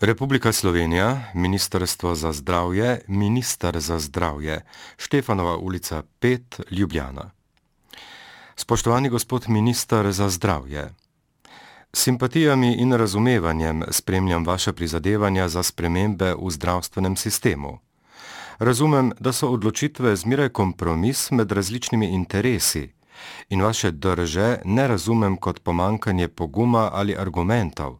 Republika Slovenija, Ministrstvo za zdravje, Minister za zdravje, Štefanova ulica 5, Ljubljana. Spoštovani gospod minister za zdravje, s simpatijami in razumevanjem spremljam vaše prizadevanja za spremembe v zdravstvenem sistemu. Razumem, da so odločitve zmeraj kompromis med različnimi interesi in vaše drže ne razumem kot pomanjkanje poguma ali argumentov.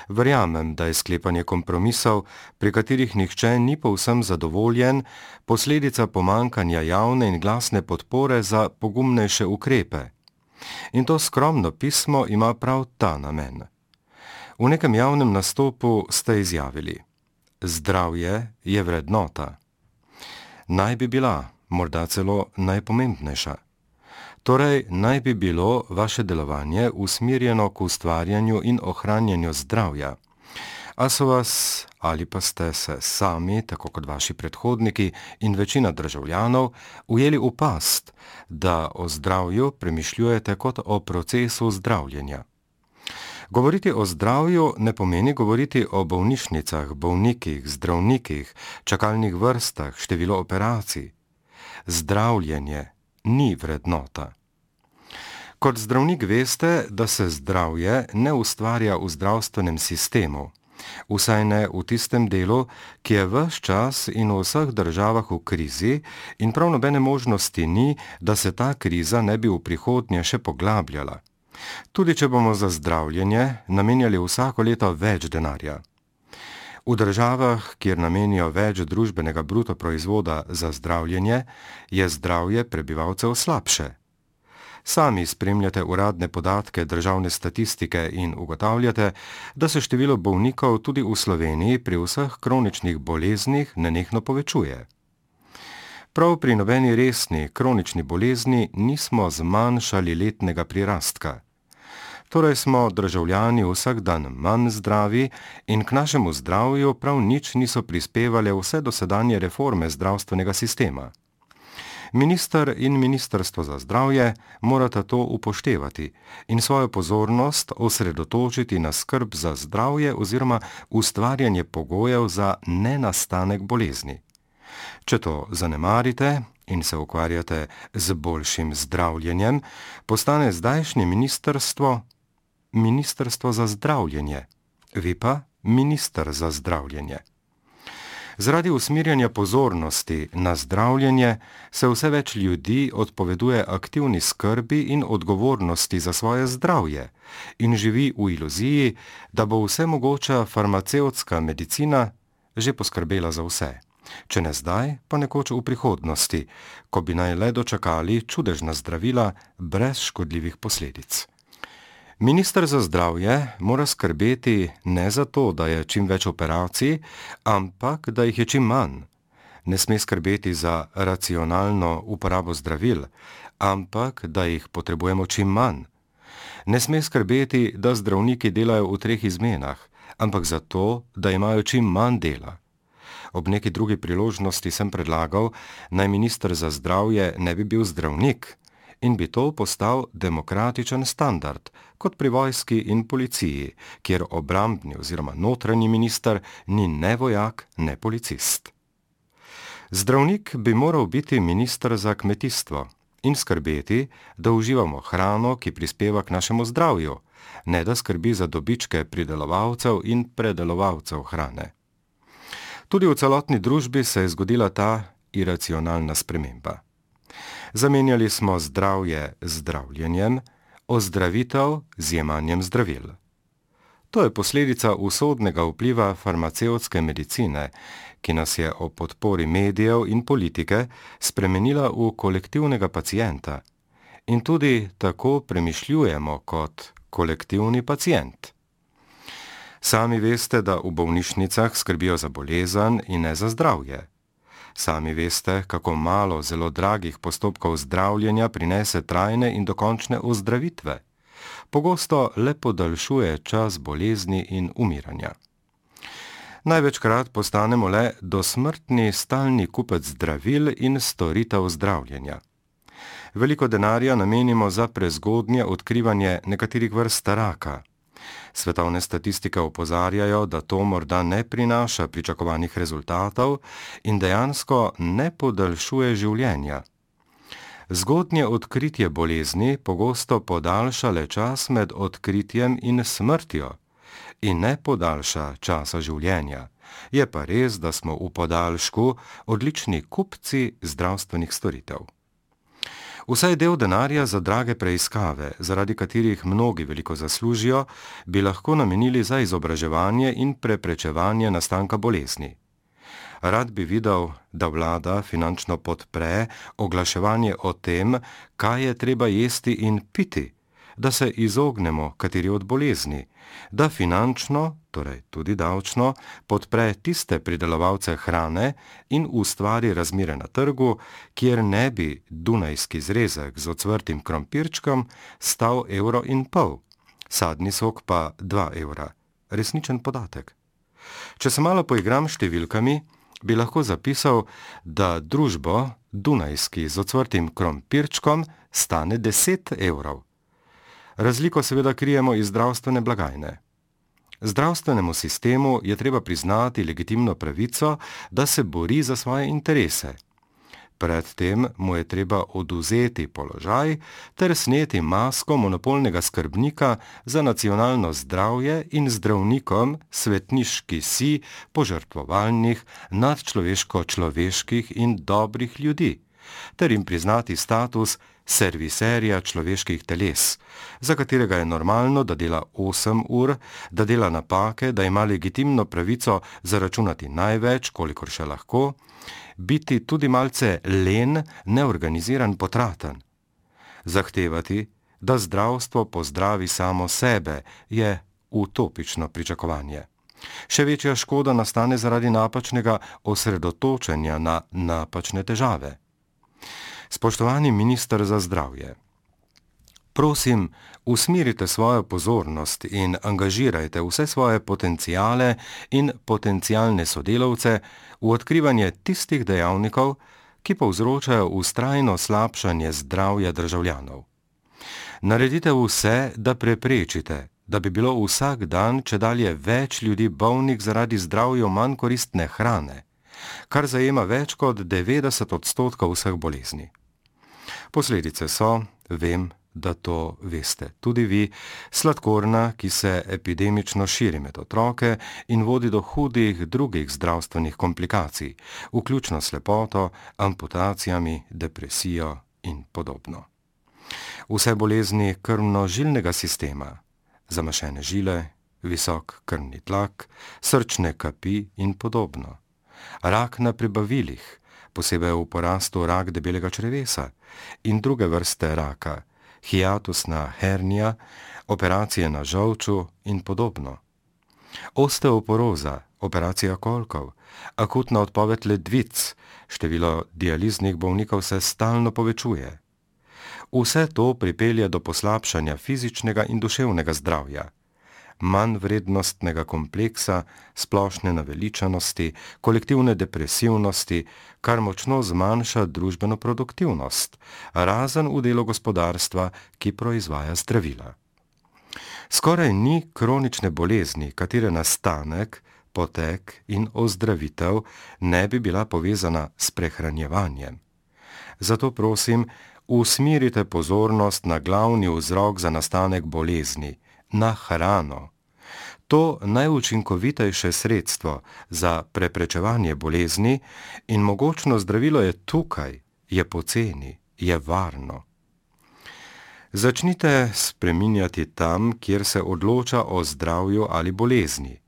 Verjamem, da je sklepanje kompromisov, pri katerih nihče ni povsem zadovoljen, posledica pomanjkanja javne in glasne podpore za pogumnejše ukrepe. In to skromno pismo ima prav ta namen. V nekem javnem nastopu ste izjavili: zdravje je vrednota. Naj bi bila, morda celo najpomembnejša. Torej, naj bi bilo vaše delovanje usmerjeno k ustvarjanju in ohranjanju zdravja. A so vas, ali pa ste se sami, tako kot vaši predhodniki in večina državljanov, ujeli v past, da o zdravju premišljujete kot o procesu zdravljenja. Govoriti o zdravju ne pomeni govoriti o bolnišnicah, bolnikih, zdravnikih, čakalnih vrstah, število operacij. Zdravljenje ni vrednota. Kot zdravnik veste, da se zdravje ne ustvarja v zdravstvenem sistemu, vsaj ne v tistem delu, ki je ves čas in v vseh državah v krizi in prav nobene možnosti ni, da se ta kriza ne bi v prihodnje še poglabljala. Tudi če bomo za zdravljenje namenjali vsako leto več denarja. V državah, kjer namenijo več družbenega bruto proizvoda za zdravljenje, je zdravje prebivalcev slabše. Sami spremljate uradne podatke državne statistike in ugotavljate, da se število bolnikov tudi v Sloveniji pri vseh kroničnih boleznih nenehno povečuje. Prav pri nobeni resni kronični bolezni nismo zmanjšali letnega prirastka. Torej smo državljani vsak dan manj zdravi in k našemu zdravju prav nič niso prispevale vse dosedanje reforme zdravstvenega sistema. Minister in Ministrstvo za zdravje morata to upoštevati in svojo pozornost osredotočiti na skrb za zdravje oziroma ustvarjanje pogojev za nenastanek bolezni. Če to zanemarite in se ukvarjate z boljšim zdravljenjem, postane zdajšnje Ministrstvo za zdravljenje, vi pa Minister za zdravljenje. Zaradi usmerjanja pozornosti na zdravljenje se vse več ljudi odpoveduje aktivni skrbi in odgovornosti za svoje zdravje in živi v iluziji, da bo vsemogoča farmacevtska medicina že poskrbela za vse. Če ne zdaj, pa nekoč v prihodnosti, ko bi naj le dočakali čudežna zdravila brez škodljivih posledic. Minister za zdravje mora skrbeti ne za to, da je čim več operacij, ampak da jih je čim manj. Ne sme skrbeti za racionalno uporabo zdravil, ampak da jih potrebujemo čim manj. Ne sme skrbeti, da zdravniki delajo v 3 izmenah, ampak za to, da imajo čim manj dela. Ob neki drugi priložnosti sem predlagal, naj minister za zdravje ne bi bil zdravnik in bi to postal demokratičen standard, kot pri vojski in policiji, kjer obrambni oziroma notranji minister ni ne vojak, ne policist. Zdravnik bi moral biti minister za kmetijstvo in skrbeti, da uživamo hrano, ki prispeva k našemu zdravju, ne da skrbi za dobičke pridelovalcev in predelovalcev hrane. Tudi v celotni družbi se je zgodila ta iracionalna sprememba. Zamenjali smo zdravje z zdravljenjem, ozdravitev z jemanjem zdravil. To je posledica usodnega vpliva farmacevtske medicine, ki nas je ob podpori medijev in politike spremenila v kolektivnega pacienta. In tudi tako premišljujemo kot kolektivni pacient. Sami veste, da v bolnišnicah skrbijo za bolezen in ne za zdravje. Sami veste, kako malo zelo dragih postopkov zdravljenja prinese trajne in dokončne ozdravitve. Pogosto le podaljšuje čas bolezni in umiranja. Največkrat postanemo le dosmrtni stalni kupec zdravil in storitev zdravljenja. Veliko denarja namenimo za prezgodnje odkrivanje nekaterih vrst raka. Svetovne statistike opozarjajo, da to morda ne prinaša pričakovanih rezultatov in dejansko ne podaljšuje življenja. Zgodnje odkritje bolezni pogosto podaljša le čas med odkritjem in smrtjo in ne podaljša časa življenja. Je pa res, da smo v podaljšku odlični kupci zdravstvenih storitev. Vsaj del denarja za drage preiskave, zaradi katerih mnogi veliko zaslužijo, bi lahko namenili za izobraževanje in preprečevanje nastanka bolezni. Rad bi videl, da vlada finančno podpre oglaševanje o tem, kaj je treba jesti in piti, da se izognemo kateri od bolezni, da finančno, torej tudi davčno, podpre tiste pridelovalce hrane in ustvari razmere na trgu, kjer ne bi dunajski zrezek z ocvrtim krompirčkom stal 1,5 €, sadni sok pa 2 €. Resničen podatek. Če se malo poigram številkami, bi lahko zapisal, da družbo dunajski z ocvrtim krompirčkom stane 10 €. Razliko seveda krijemo iz zdravstvene blagajne. Zdravstvenemu sistemu je treba priznati legitimno pravico, da se bori za svoje interese. Predtem mu je treba odvzeti položaj ter sneti masko monopolnega skrbnika za nacionalno zdravje in zdravnikom svetniški si požrtvovalnih, nadčloveško-človeških in dobrih ljudi, ter jim priznati status serviserja človeških teles, za katerega je normalno, da dela 8 ur, da dela napake, da ima legitimno pravico zaračunati največ, kolikor še lahko, biti tudi malce len, neorganiziran, potraten. Zahtevati, da zdravstvo pozdravi samo sebe, je utopično pričakovanje. Še večja škoda nastane zaradi napačnega osredotočenja na napačne težave. Spoštovani minister za zdravje, prosim, usmerite svojo pozornost in angažirajte vse svoje potenciale in potencialne sodelavce v odkrivanje tistih dejavnikov, ki povzročajo vztrajno slabšanje zdravja državljanov. Naredite vse, da preprečite, da bi bilo vsak dan čedalje več ljudi bolnih zaradi zdravju manj koristne hrane, kar zajema več kot 90% vseh bolezni. Posledice so, vem, da to veste tudi vi, sladkorna, ki se epidemično širi med otroke in vodi do hudih drugih zdravstvenih komplikacij, vključno s slepoto, amputacijami, depresijo in podobno. Vse bolezni krvno-žilnega sistema, zamašene žile, visok krvni tlak, srčne kapi in podobno. Rak na prebavilih, posebej v porastu rak debelega črevesa in druge vrste raka, hiatusna hernija, operacije na žolču in podobno. Osteoporoza, operacija kolkov, akutna odpoved ledvic, število dializnih bolnikov se stalno povečuje. Vse to pripelje do poslabšanja fizičnega in duševnega zdravja, manj vrednostnega kompleksa, splošne naveličanosti, kolektivne depresivnosti, kar močno zmanjša družbeno produktivnost, razen v delu gospodarstva, ki proizvaja zdravila. Skoraj ni kronične bolezni, katere nastanek, potek in ozdravitev ne bi bila povezana s prehranjevanjem. Zato prosim, usmerite pozornost na glavni vzrok za nastanek bolezni, na hrano. To najučinkovitejše sredstvo za preprečevanje bolezni in mogočno zdravilo je tukaj, je poceni, je varno. Začnite spreminjati tam, kjer se odloča o zdravju ali bolezni.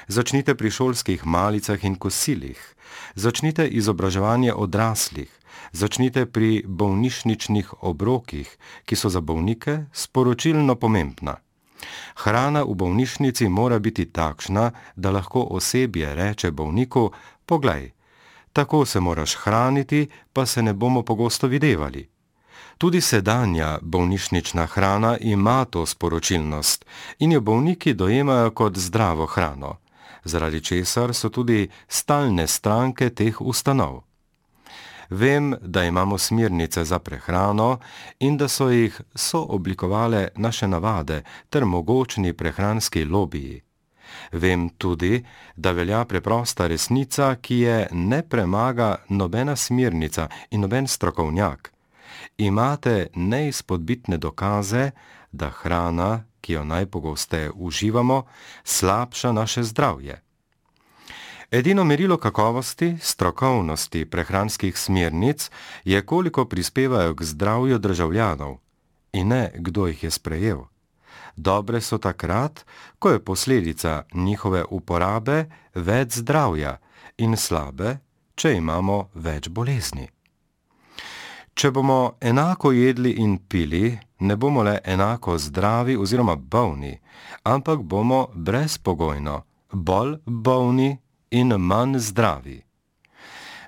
Začnite pri šolskih malicah in kosilih. Začnite izobraževanje odraslih. Začnite pri bolnišničnih obrokih, ki so za bolnike sporočilno pomembna. Hrana v bolnišnici mora biti takšna, da lahko osebje reče bolniku: poglej, tako se moraš hraniti, pa se ne bomo pogosto videvali. Tudi sedanja bolnišnična hrana ima to sporočilnost in jo bolniki dojemajo kot zdravo hrano, zaradi česar so tudi stalne stranke teh ustanov. Vem, da imamo smernice za prehrano in da so jih sooblikovale naše navade ter mogočni prehranski lobiji. Vem tudi, da velja preprosta resnica, ki je ne premaga nobena smernica in noben strokovnjak. Imate neizpodbitne dokaze, da hrana, ki jo najpogosteje uživamo, slabša naše zdravje. Edino merilo kakovosti, strokovnosti prehranskih smernic je, koliko prispevajo k zdravju državljanov, in ne, kdo jih je sprejel. Dobre so takrat, ko je posledica njihove uporabe več zdravja, in slabe, če imamo več bolezni. Če bomo enako jedli in pili, ne bomo le enako zdravi oziroma bolni, ampak bomo brezpogojno bolj bolni in manj zdravi.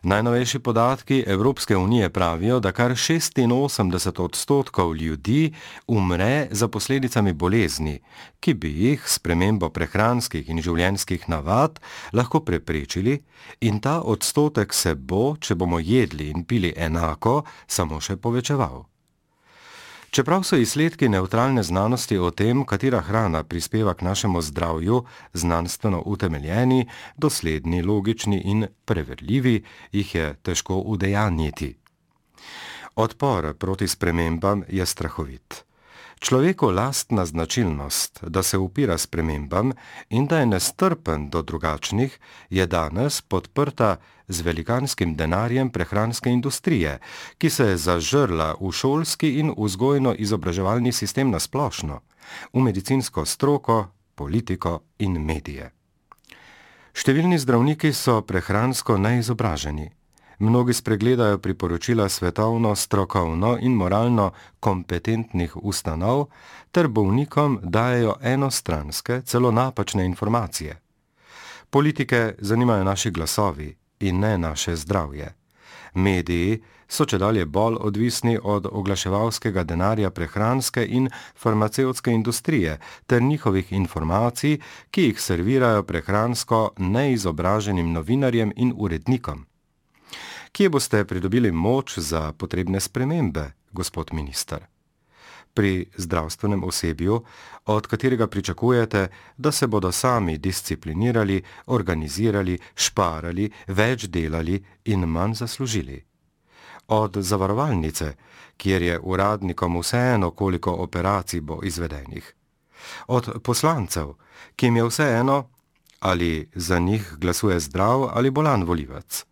Najnovejši podatki Evropske unije pravijo, da kar 86% ljudi umre za posledicami bolezni, ki bi jih s spremembo prehranskih in življenjskih navad lahko preprečili, in ta odstotek se bo, če bomo jedli in pili enako, samo še povečeval. Čeprav so izsledki nevtralne znanosti o tem, katera hrana prispeva k našemu zdravju, znanstveno utemeljeni, dosledni, logični in preverljivi, jih je težko udejanjiti. Odpor proti spremembam je strahovit. Človeku lastna značilnost, da se upira spremembam in da je nestrpen do drugačnih, je danes podprta z velikanskim denarjem prehranske industrije, ki se je zažrla v šolski in vzgojno-izobraževalni sistem nasplošno, v medicinsko stroko, politiko in medije. Številni zdravniki so prehransko neizobraženi. Mnogi spregledajo priporočila svetovno, strokovno in moralno kompetentnih ustanov ter bolnikom dajejo enostranske, celo napačne informacije. Politike zanimajo naši glasovi in ne naše zdravje. Mediji so čedalje bolj odvisni od oglaševalskega denarja prehranske in farmacevtske industrije ter njihovih informacij, ki jih servirajo prehransko neizobraženim novinarjem in urednikom. Kje boste pridobili moč za potrebne spremembe, gospod minister? Pri zdravstvenem osebju, od katerega pričakujete, da se bodo sami disciplinirali, organizirali, šparali, več delali in manj zaslužili. Od zavarovalnice, kjer je uradnikom vseeno, koliko operacij bo izvedenih. Od poslancev, ki jim je vseeno, ali za njih glasuje zdrav ali bolan volivec.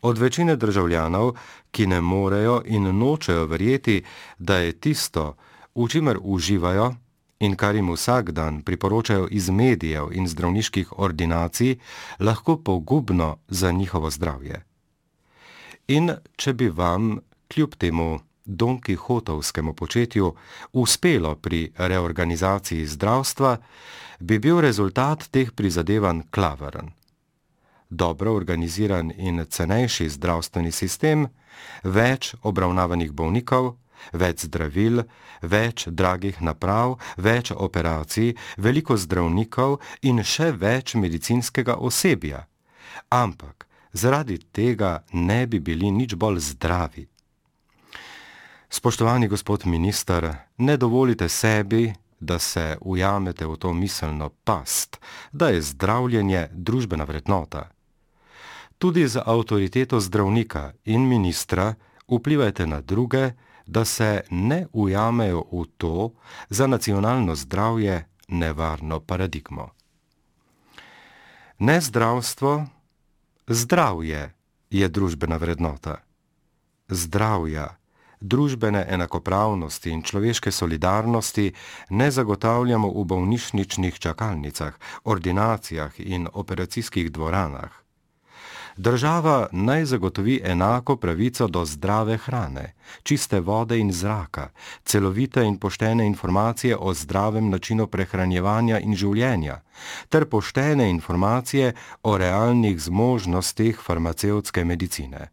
Od večine državljanov, ki ne morejo in nočejo verjeti, da je tisto, v čimer uživajo in kar jim vsak dan priporočajo iz medijev in zdravniških ordinacij, lahko pogubno za njihovo zdravje. In če bi vam, kljub temu Don Kihotovskemu početju, uspelo pri reorganizaciji zdravstva, bi bil rezultat teh prizadevanj klaveren. Dobro organiziran in cenejši zdravstveni sistem, več obravnavanih bolnikov, več zdravil, več dragih naprav, več operacij, veliko zdravnikov in še več medicinskega osebja. Ampak zaradi tega ne bi bili nič bolj zdravi. Spoštovani gospod minister, ne dovolite sebi, da se ujamete v to miselno past, da je zdravljenje družbena vrednota. Tudi z avtoriteto zdravnika in ministra vplivajte na druge, da se ne ujamejo v to za nacionalno zdravje nevarno paradigmo. Ne zdravstvo, zdravje je družbena vrednota. Zdravja, družbene enakopravnosti in človeške solidarnosti ne zagotavljamo v bolnišničnih čakalnicah, ordinacijah in operacijskih dvoranah. Država naj zagotovi enako pravico do zdrave hrane, čiste vode in zraka, celovite in poštene informacije o zdravem načinu prehranjevanja in življenja, ter poštene informacije o realnih zmožnostih farmacevtske medicine.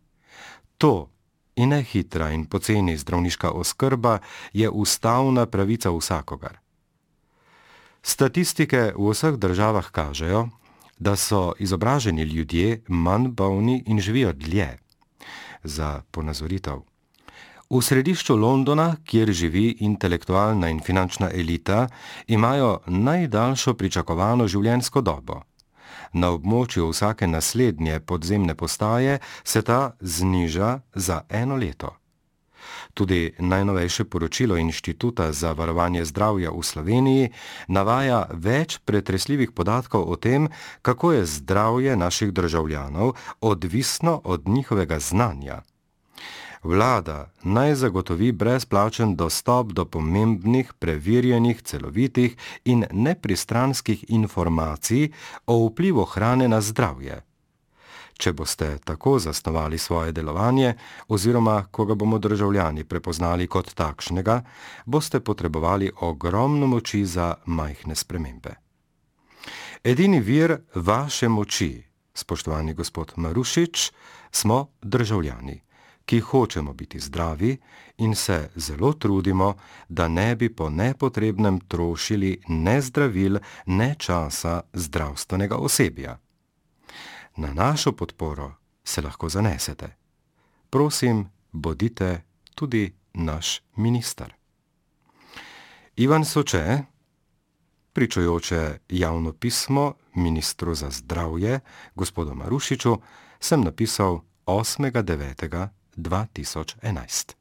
To in ne hitra in poceni zdravniška oskrba je ustavna pravica vsakogar. Statistike v vseh državah kažejo, da so izobraženi ljudje manj bolni in živijo dlje. Za ponazoritev. V središču Londona, kjer živi intelektualna in finančna elita, imajo najdaljšo pričakovano življenjsko dobo. Na območju vsake naslednje podzemne postaje se ta zniža za 1 leto. Tudi najnovejše poročilo Inštituta za varovanje zdravja v Sloveniji navaja več pretresljivih podatkov o tem, kako je zdravje naših državljanov odvisno od njihovega znanja. Vlada naj zagotovi brezplačen dostop do pomembnih, preverjenih, celovitih in nepristranskih informacij o vplivu hrane na zdravje. Če boste tako zasnovali svoje delovanje, oziroma ko ga bomo državljani prepoznali kot takšnega, boste potrebovali ogromno moči za majhne spremembe. Edini vir vaše moči, spoštovani gospod Marušič, smo državljani, ki hočemo biti zdravi in se zelo trudimo, da ne bi po nepotrebnem trošili ne zdravil, ne časa zdravstvenega osebja. Na našo podporo se lahko zanesete. Prosim, bodite tudi naš minister. Ivan Soče, pričujoče javno pismo ministru za zdravje, gospodu Marušiču, sem napisal 8. 9. 2011.